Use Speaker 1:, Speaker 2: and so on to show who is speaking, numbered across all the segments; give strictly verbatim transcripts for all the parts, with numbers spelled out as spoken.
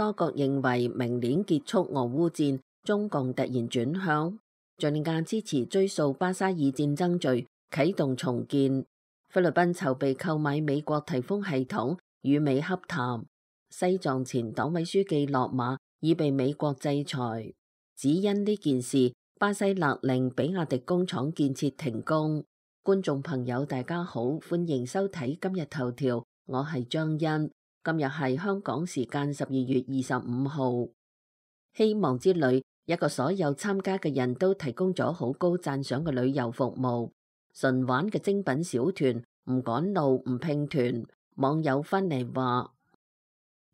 Speaker 1: 多國認為明年結束俄烏戰，中共突然轉向，敘利亞支持追溯巴沙爾戰爭罪，啟動重建。菲律賓籌備購買美國颱風系統，與美洽談。西藏前黨委書記落馬，已被美國制裁。只因呢件事，巴西勒令比亞迪工廠建設停工。觀眾朋友大家好，歡迎收睇今日頭條，我係張欣。今日係香港時間十二月二十五號。希望之旅一個所有參加嘅人都提供咗好高讚賞嘅旅遊服務，純玩嘅精品小團，唔趕路唔拼團。網友翻嚟話，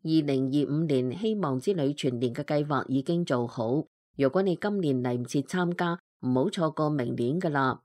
Speaker 1: 二零二五年希望之旅全年嘅計劃已經做好，如果你今年嚟唔切參加，唔好錯過明年噶啦。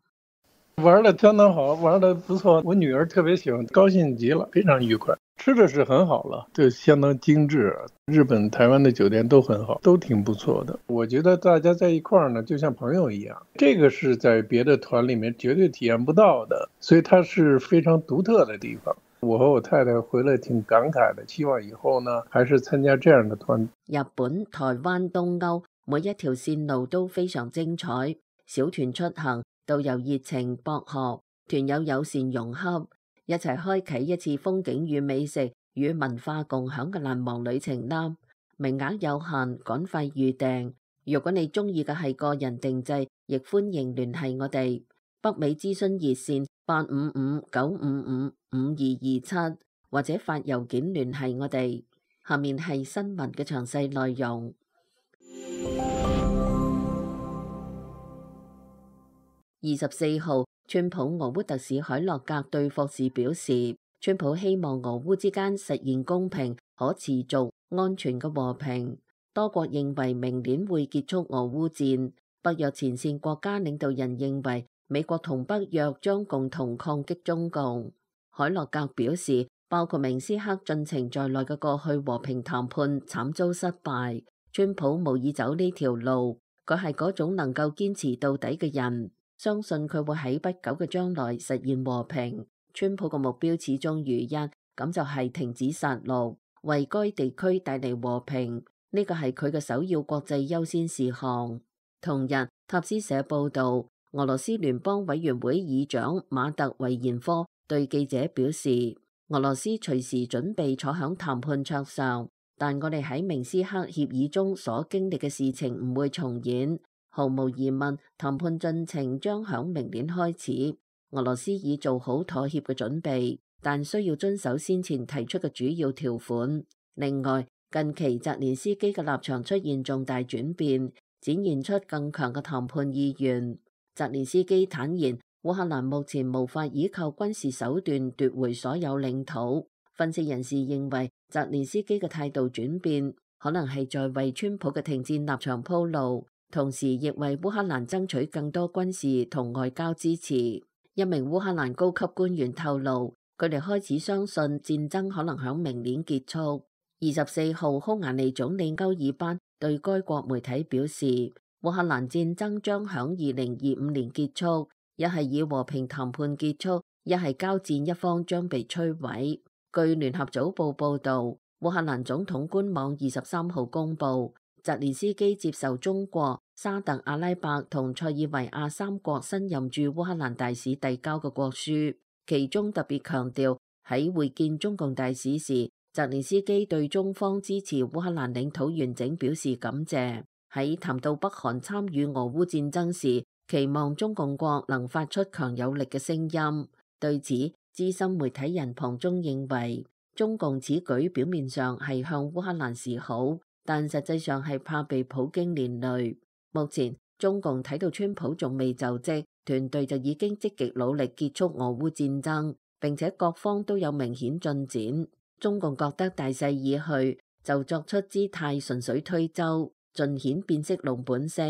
Speaker 2: 玩得相當好，玩得不錯，我女兒特別喜歡，高興極了，非常愉快。吃的是很好了，就相當精緻。日本、台灣的酒店都很好，都挺不錯的。我覺得大家在一塊兒呢，就像朋友一樣，這個是在別的團裡面絕對體驗不到的，所以它是非常獨特的地方。我和我太太回來挺感慨的，希望以後呢，還是參加這樣的團。
Speaker 1: 日本、台灣、東歐每一條線路都非常精彩，小團出行，導遊熱情博學，團友友善融洽，一齊開啟一次風景與美食與文化共享嘅難忘旅程啦！名額有限，趕快預訂。如果你中意嘅係個人定製，亦歡迎聯繫我哋。北美諮詢熱線八五五九五五五二二七，或者發郵件聯繫我哋。下面係新聞嘅詳細內容。二十四號，川普俄烏特使海洛格對霍士表示，川普希望俄烏之間實現公平、可持續、安全嘅和平。多國認為明年會結束俄烏戰。北約前線國家領導人認為美國同北約將共同抗擊中共。海洛格表示，包括明斯克進程在內嘅過去和平談判慘遭失敗，川普無意走呢條路。佢係嗰種能夠堅持到底嘅人。相信佢會喺不久嘅將來實現和平。川普嘅目標始終如一，咁就係停止殺戮，為該地區帶嚟和平。呢個係佢嘅首要國際優先事項。同日，塔斯社報道，俄羅斯聯邦委員會議長馬特維延科對記者表示，俄羅斯隨時準備坐響談判桌上，但我哋喺明斯克協議中所經歷嘅事情唔會重演。毫無疑問，談判進程將響明年開始。俄羅斯已做好妥協嘅準備，但需要遵守先前提出嘅主要條款。另外，近期澤連斯基嘅立場出現重大轉變，展現出更強嘅談判意願。澤連斯基坦言，烏克蘭目前無法依靠軍事手段奪回所有領土。分析人士認為，澤連斯基嘅態度轉變，可能係在為川普嘅停戰立場鋪路。同時亦為烏克蘭爭取更多軍事同外交支持。一名烏克蘭高級官員透露，佢哋開始相信戰爭可能響明年結束。二十四號，匈牙利總理歐爾班對該國媒體表示，烏克蘭戰爭將響二零二五年結束，一係以和平談判結束，一係交戰一方將被摧毀。據聯合早報報導，烏克蘭總統官網二十三號公佈，澤連斯基接受中國、沙特阿拉伯同塞爾維亞三國新任駐烏克蘭大使遞交嘅國書，其中特別強調喺會見中共大使時，澤連斯基對中方支持烏克蘭領土完整表示感謝。喺談到北韓參與俄烏戰爭時，期望中共國能發出強有力嘅聲音。對此，資深媒體人龐中認為，中共此舉表面上係向烏克蘭示好，但實際上係怕被普京連累。目前中共睇到川普仲未就職，團隊就已經積極努力結束俄烏戰爭，並且各方都有明顯進展。中共覺得大勢已去，就作出姿態順水推舟，盡顯變色龍本色，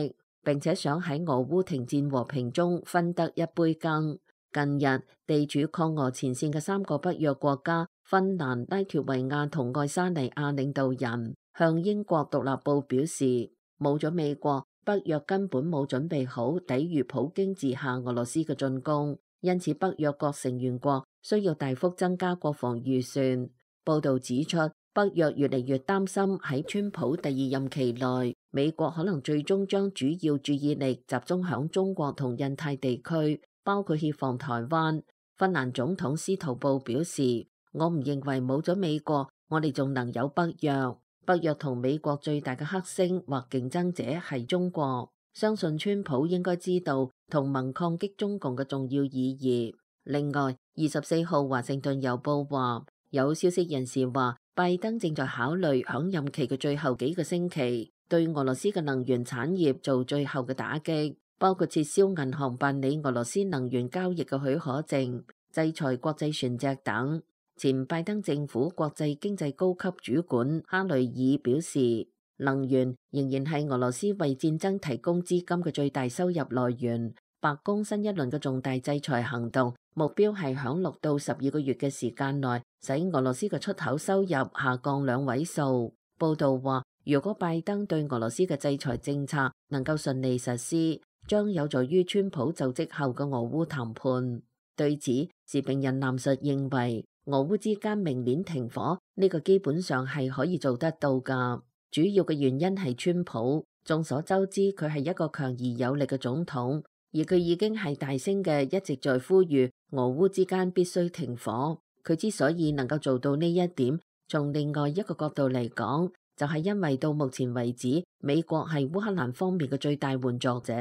Speaker 1: 並且想喺俄烏停戰和平中分得一杯羹。近日，地處抗俄前線嘅三個北約國家芬蘭、拉脫維亞同愛沙尼亞領導人向英國獨立報表示，冇咗美國，北約根本冇準備好抵禦普京治下俄羅斯嘅進攻，因此北約各成員國需要大幅增加國防預算。報導指出，北約越嚟越擔心喺川普第二任期內，美國可能最終將主要注意力集中響中國同印太地區，包括協防台灣。芬蘭總統司徒布表示：我唔認為冇咗美國，我哋仲能有北約。北約同美國最大嘅黑星或競爭者係中國。相信川普應該知道同盟抗擊中共嘅重要意義。另外，二十四號華盛頓郵報話，有消息人士話，拜登正在考慮響任期嘅最後幾個星期，對俄羅斯嘅能源產業做最後嘅打擊，包括撤銷銀行辦理俄羅斯能源交易嘅許可證、制裁國際船隻等。前拜登政府國際經濟高級主管哈雷爾表示，能源仍然係俄羅斯為戰爭提供資金嘅最大收入來源。白宮新一輪嘅重大制裁行動目標係響六到十二個月嘅時間內，使俄羅斯嘅出口收入下降兩位數。報道話，如果拜登對俄羅斯嘅制裁政策能夠順利實施，將有助於川普就職後嘅俄烏談判。對此，時評人藍述認為，俄烏之間明年停火呢個基本上係可以做得到㗎。主要嘅原因係川普，眾所周知佢係一個強而有力嘅總統，而佢已經係大聲嘅一直在呼籲俄烏之間必須停火。佢之所以能夠做到呢一點，從另外一個角度嚟講，就係因為到目前為止，美國係烏克蘭方面嘅最大援助者。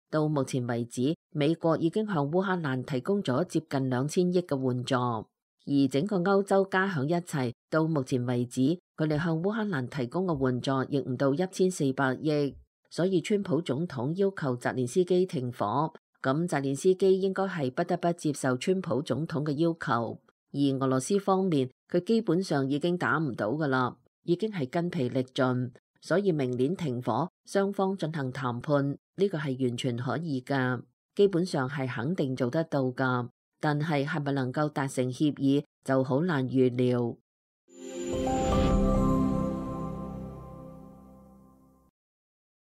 Speaker 1: 到目前為止，美國已經向烏克蘭提供咗接近兩千億嘅援助。而整個歐洲加響一齊，到目前為止，佢哋向烏克蘭提供嘅援助亦唔到一千四百億。所以川普總統要求澤連斯基停火，咁澤連斯基應該係不得不接受川普總統嘅要求。而俄羅斯方面，佢基本上已經打唔到噶啦，已經係筋疲力盡。所以明年停火，雙方進行談判，呢個係完全可以噶，基本上係肯定做得到噶。但係係咪能夠達成協議就好難預料。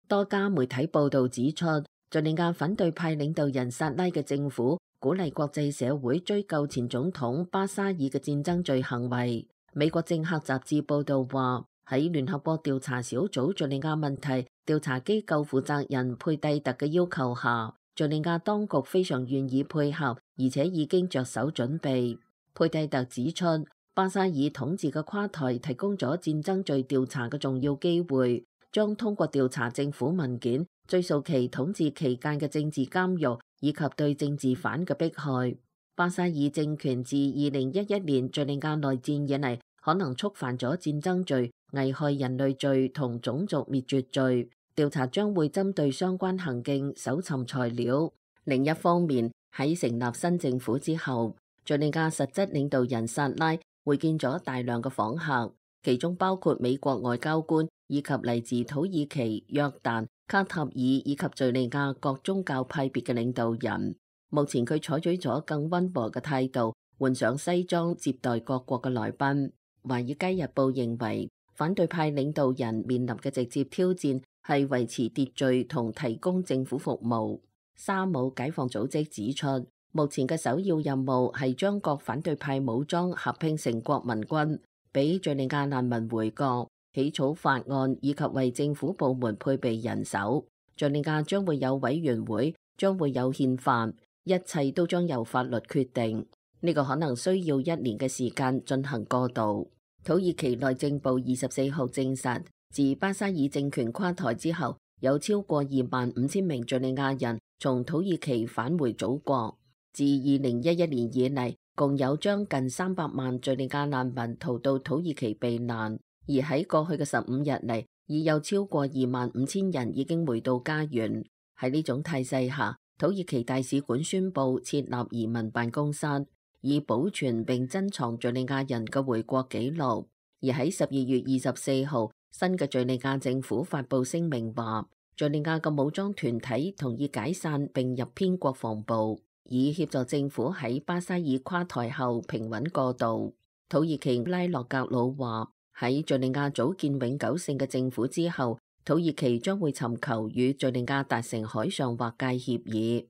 Speaker 1: 多家媒體報道指出，敘利亞反對派領導人薩拉嘅政府鼓勵國際社會追究前總統巴沙爾嘅戰爭罪行為。美國政客雜誌報道話，喺聯合國調查小組敘利亞問題調查機構負責人佩蒂特嘅要求下，敘利亞當局非常願意配合，而且已經着手準備。佩蒂特指出，巴沙爾統治嘅垮台提供咗戰爭罪調查嘅重要機會，將通過調查政府文件，追溯其統治期間嘅政治監獄以及對政治犯嘅迫害。巴沙爾政權自二零一一年敘利亞內戰以嚟，可能觸犯咗戰爭罪、危害人類罪同種族滅絕罪。調查將會針對相關行徑搜尋材料。另一方面，喺成立新政府之後，敘利亞實質領導人薩拉會見咗大量嘅訪客，其中包括美國外交官以及嚟自土耳其、約旦、卡塔爾以及敘利亞各宗教派別嘅領導人。目前佢採取咗更溫和嘅態度，換上西裝接待各國嘅來賓。華爾街日報認為，反對派領導人面臨嘅直接挑戰係維持秩序同提供政府服務。沙姆解放組織指出，目前嘅首要任務係將各反對派武裝合併成國民軍，俾敘利亞難民回國、起草法案以及為政府部門配備人手。敘利亞將會有委員會，將會有憲法，一切都將由法律決定。呢個可能需要一年嘅時間進行過渡。土耳其內政部二十四號證實，自巴沙爾政權垮台之後，有超過二萬五千名敘利亞人從土耳其返回祖國。自二零一一年以嚟，共有將近三百萬敘利亞難民逃到土耳其避難，而喺過去嘅十五日嚟，已有超過二萬五千人已經回到家園。喺呢種態勢下，土耳其大使館宣布設立移民辦公室，以保存並珍藏敘利亞人嘅回國記錄。而喺十二月二十四號，新嘅敘利亞政府發布聲明話，敘利亞嘅武裝團體同意解散並入編國防部，以協助政府喺巴沙爾垮台後平穩過渡。土耳其拉洛格魯話，喺敘利亞組建永久性嘅政府之後，土耳其將會尋求與敘利亞達成海上劃界協議。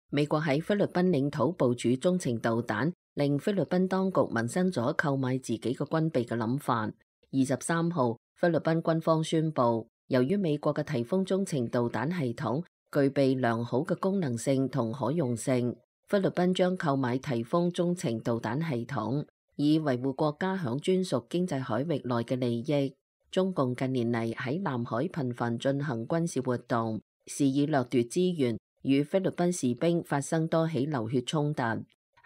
Speaker 1: 美國喺菲律賓領土部署中程導彈，令菲律賓當局萌生咗購買自己嘅軍備嘅諗法。二十三號，菲律賓軍方宣布，由於美國嘅颱風中程導彈系統具備良好嘅功能性同可用性，菲律賓將購買颱風中程導彈系統，以維護國家響專屬經濟海域內嘅利益。中共近年嚟喺南海頻繁進行軍事活動，肆意掠奪資源，與菲律賓士兵發生多起流血衝突。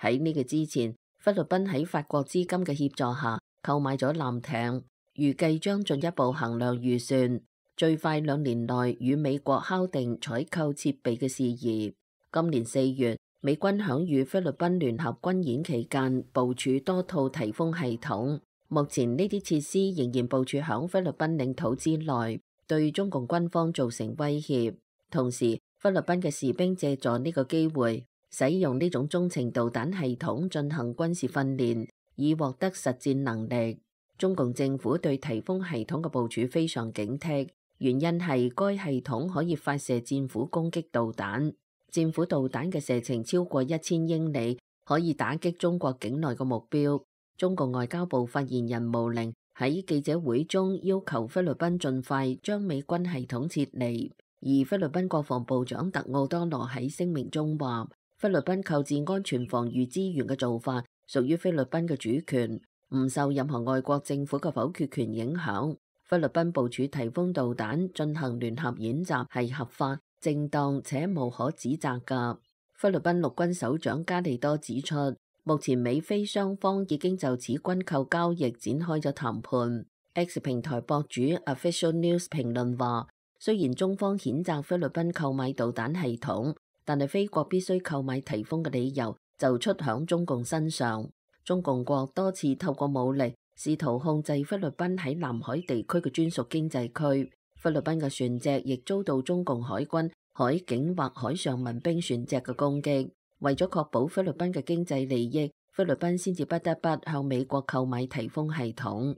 Speaker 1: 喺呢個之前，菲律賓喺法國資金嘅協助下購買咗艦艇，預計將進一步衡量預算，最快兩年內與美國敲定採購設備嘅事宜。今年四月，美軍響與菲律賓聯合軍演期間部署多套颱風系統。目前呢啲設施仍然部署響菲律賓領土之內，對中共軍方造成威脅。同時，菲律賓嘅士兵借助呢個機會，使用呢種中程導彈系統進行軍事訓練，以獲得實戰能力。中共政府對颱風系統嘅部署非常警惕，原因係該系統可以發射戰斧攻擊導彈，戰斧導彈嘅射程超過一千英里，可以打擊中國境內嘅目標。中共外交部發言人毛寧喺記者會中要求菲律賓盡快將美軍系統撤離，而菲律賓國防部長特奧多羅喺聲明中話，菲律賓購置安全防禦資源嘅做法屬於菲律賓嘅主權，唔受任何外國政府嘅否決權影響。菲律賓部署颱風導彈進行聯合演習係合法、正當且無可指責㗎。菲律賓陸軍首長加利多指出，目前美菲雙方已經就此軍購交易展開咗談判。X 平台博主 Official News 評論話，雖然中方譴責菲律賓購買導彈系統，但係菲國必須購買颱風嘅理由就出響中共身上。中共國多次透過武力試圖控制菲律賓喺南海地區嘅專屬經濟區，菲律賓嘅船隻亦遭到中共海軍海警或海上民兵船隻嘅攻擊。為咗確保菲律賓嘅經濟利益，菲律賓先至不得不向美國購買颱風系統。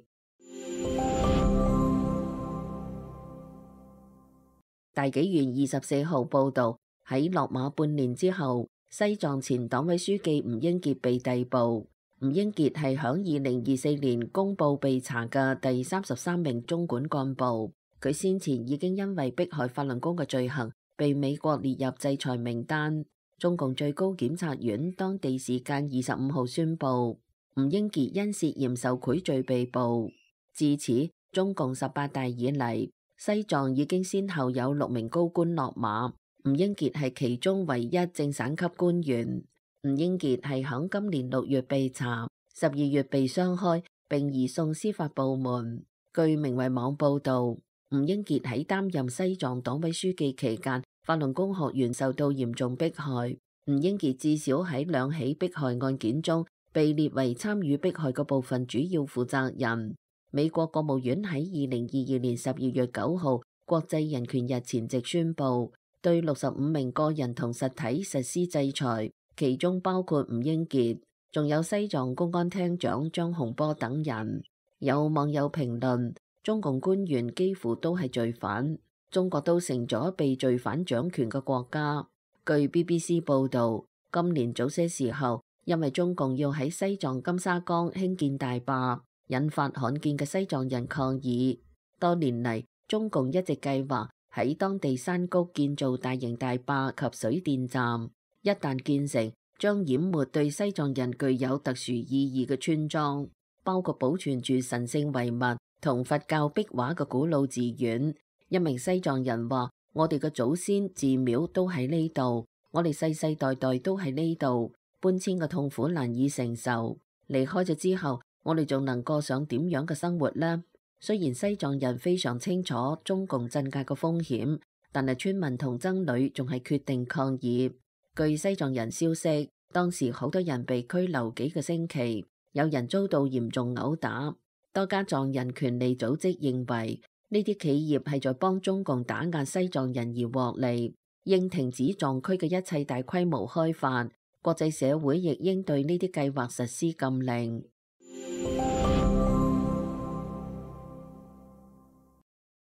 Speaker 1: 大紀元二十四號報導，喺落馬半年之後，西藏前黨委書記吳英傑被逮捕。吳英傑係響二零二四年公佈被查嘅第三十三名中管幹部，佢先前已經因為迫害法輪功嘅罪行被美國列入制裁名單。中共最高檢察院當地時間二十五號宣布，吳英傑因涉嫌受賄罪被捕。至此，中共十八大以嚟，西藏已經先後有六名高官落馬，吳英傑係其中唯一正省級官員。吳英傑係響今年六月被查，十二月被雙開並移送司法部門。據明慧網報導，吳英傑喺擔任西藏黨委書記期間，法輪功學員受到嚴重迫害。吳英傑至少喺兩起迫害案件中被列為參與迫害嘅部分主要負責人。美國國務院喺二零二二年十二月九號國際人權日前夕宣布，對六十五名個人同實體實施制裁，其中包括吳英傑，仲有西藏公安廳長張洪波等人。有網友評論，中共官員幾乎都係罪犯，中國都成咗被罪犯掌權嘅國家。據 B B C 報導，今年早些時候，因為中共要喺西藏金沙江興建大壩，引發罕見嘅西藏人抗議。多年嚟，中共一直計劃喺當地山谷建造大型大壩及水電站，一旦建成，將淹沒對西藏人具有特殊意義嘅村莊，包括保存住神聖遺物同佛教壁畫嘅古老寺院。一名西藏人話：我哋嘅祖先寺廟都喺呢度，我哋世世代代都喺呢度，搬遷嘅痛苦難以承受。離開咗之後，我哋仲能過上點樣嘅生活呢？雖然西藏人非常清楚中共鎮壓嘅風險，但係村民同僧侶仲係決定抗議。據西藏人消息，當時好多人被拘留幾個星期，有人遭到嚴重毆打。多家藏人權利組織認為，呢啲企業係在幫中共打壓西藏人而獲利，應停止藏區嘅一切大規模開發。國際社會亦應對呢啲計劃實施禁令。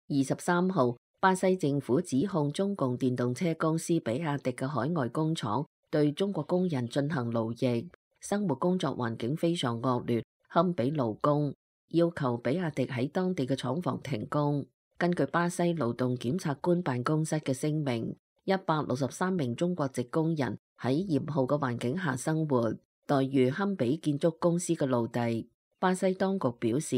Speaker 1: 二十三號，巴西政府指控中共電動車公司比亞迪嘅海外工廠對中國工人進行勞役。生活工作環境非常惡劣，堪比勞工，要求比亞迪喺當地嘅廠房停工。根據巴西勞動檢察官辦公室嘅聲明，一百六十三名中國籍工人喺嚴酷嘅環境下生活，待遇堪比建築公司嘅奴隸。巴西當局表示，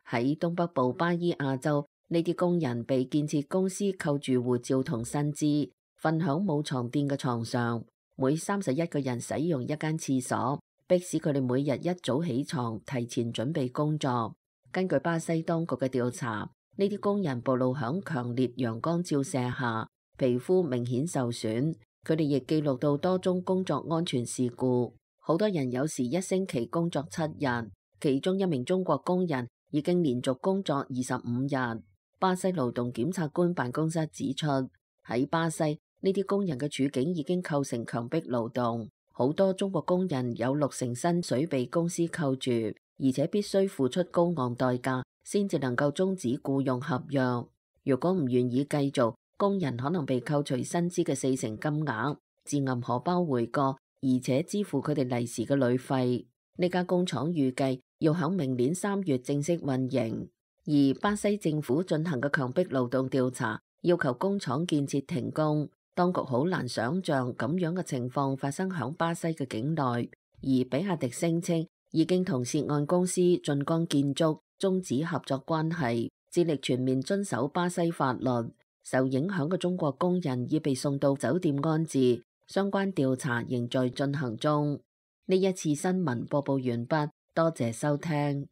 Speaker 1: 喺東北部巴伊亞州，呢啲工人被建設公司扣住護照同薪資，瞓響冇床墊嘅床上，每三十一個人使用一間廁所，迫使佢哋每日一早起床，提前準備工作。根據巴西當局嘅調查，呢啲工人暴露響強烈陽光照射下，皮膚明顯受損。佢哋亦記錄到多宗工作安全事故，好多人有時一星期工作七日。其中一名中國工人已經連續工作二十五日。巴西勞動檢察官辦公室指出，喺巴西呢啲工人嘅處境已經構成強迫勞動，好多中國工人有六成薪水被公司扣住，而且必須付出高昂代價先至能夠終止僱用合約。如果唔願意繼續，工人可能被扣除薪資嘅四成金額，自銀荷包回國，而且支付佢哋利時嘅旅費。呢家工廠預計要響明年三月正式運營，而巴西政府進行嘅強迫勞動調查，要求工廠建設停工。當局好難想象咁樣嘅情況發生響巴西嘅境內，而比亞迪聲稱已經同涉案公司晉江建築終止合作關係，致力全面遵守巴西法律。受影響嘅中國工人已被送到酒店安置，相關調查仍在進行中。呢一次新聞播報完畢，多謝收聽。